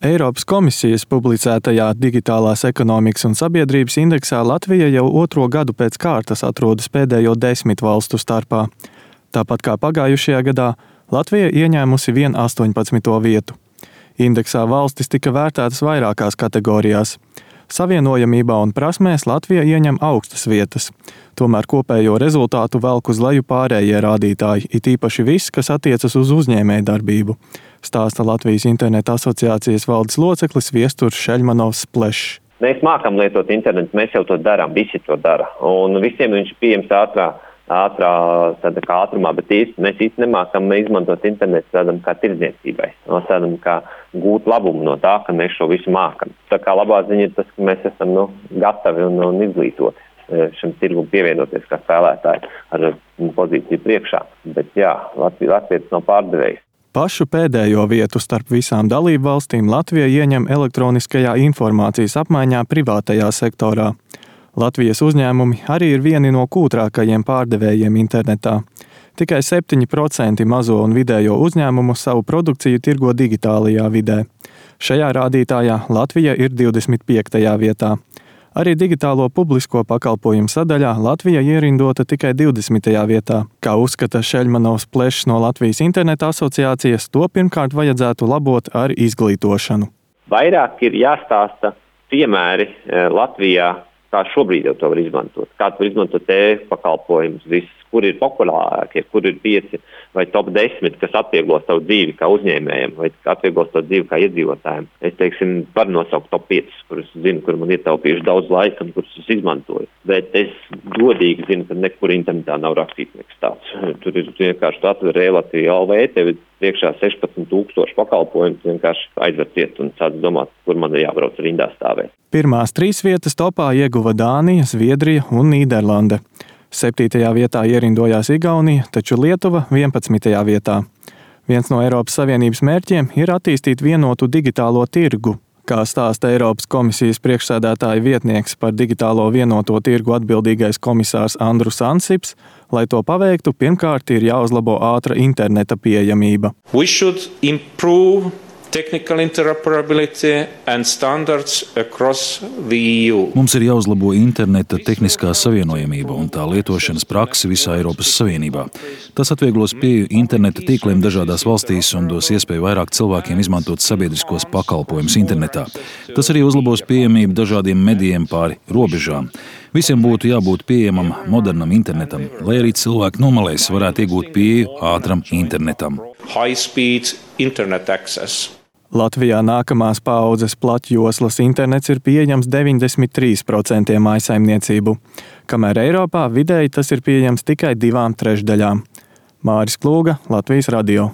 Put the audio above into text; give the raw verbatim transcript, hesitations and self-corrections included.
Eiropas komisijas publicētajā Digitālās ekonomikas un sabiedrības indeksā Latvija jau otro gadu pēc kārtas atrodas pēdējo desmit valstu starpā. Tāpat kā pagājušajā gadā, Latvija ieņēmusi vien astoņpadsmito vietu. Indeksā valstis tika vērtētas vairākās kategorijās. Savienojamībā un prasmēs Latvija ieņem augstas vietas. Tomēr kopējo rezultātu velk uz leju pārējie rādītāji, it īpaši viss, kas attiecas uz uzņēmējdarbību, stāsta Latvijas interneta asociācijas valdes loceklis Viesturs Šeļmanovs Plešs. Mēs mākam lietot internetu, mēs jau to darām, visi to dara. Un visiem viņš ir pieejams ātrā, ātrā tāda kā ātrumā, bet īsti mēs īsti nemākam izmantot internetu tādam kā tirdzniecībai. Tādam kā gūt labumu no tā, ka mēs šo visu mākam. Tā kā labā ziņa ir tas, ka mēs esam nu, gatavi un, un izglītoti šim tirgum pievienoties kā spēlētāji ar pozīciju priekšā. Bet jā, Latvijas Latvijas nav pārdevējs. Pašu pēdējo vietu starp visām dalību valstīm Latvija ieņem elektroniskajā informācijas apmaiņā privātajā sektorā. Latvijas uzņēmumi arī ir vieni no kūtrākajiem pārdevējiem internetā. Tikai septiņi procenti mazo un vidējo uzņēmumu savu produkciju tirgo digitālajā vidē. Šajā rādītājā Latvija ir divdesmit piektajā vietā. Arī digitālo publisko pakalpojumu sadaļā Latvija ierindota tikai divdesmitajā vietā. Kā uzskata Šeļmanovs Plešs no Latvijas interneta asociācijas, to pirmkārt vajadzētu labot ar izglītošanu. Vairāk ir jāstāsta piemēri Latvijā, kā šobrīd jau to var izmantot. Kā tu var izmantot e-pakalpojumus, viss, kur ir populārākie, kur ir pieci vai top desmit, kas atvieglos tavu dzīvi kā uzņēmējiem, vai atvieglos tavu dzīvi kā iedzīvotājiem. Es, teiksim, varu nosaukt top piecus, kurus zinu, kur man ietaupījuši daudz laika un kurus es izmantoju. Bet es godīgi zinu, ka nekur internetā nav rakstīts nekas tāds. Tur ir vienkārši tu atver e-Latviju L V, tev ir priekšā sešpadsmit tūkstoši pakalpojumu, vienkārši aizver ciet un sāc domāt, kur man ir jābrauc rindā stāvēt. Pirmās trīs vietas topā ieguva Dānija, Zviedrija un Nīderlande. Septītajā vietā ierindojās Igaunija, taču Lietuva vienpadsmitajā vietā. Viens no Eiropas Savienības mērķiem ir attīstīt vienotu digitālo tirgu. Kā stāsta Eiropas komisijas priekšsēdētāja vietnieks par digitālo vienoto tirgu atbildīgais komisārs Andrus Ansips, lai to paveiktu, pirmkārt ir jāuzlabo ātra interneta pieejamība. We should improve technical interoperability and standards across the E U. Mums ir jāuzlabo interneta tehniskā savienojamība un tā lietošanas praksi visā Eiropas Savienībā. Tas atvieglos pieeju interneta tīkliem dažādās valstīs un dos iespēju vairāk cilvēkiem izmantot sabiedriskos pakalpojumus internetā. Tas arī uzlabos pieejamību dažādiem medijiem pāri robežām. Visiem būtu jābūt pieejamam modernam internetam, lai arī cilvēki no malēs varētu iegūt pieeju ātram internetam. High speed internet access. Latvijā nākamās paaudzes platjoslas internets ir pieejams deviņdesmit trīs procenti mājsaimniecību, kamēr Eiropā vidēji tas ir pieejams tikai divām trešdaļām. Māris Klūga, Latvijas radio.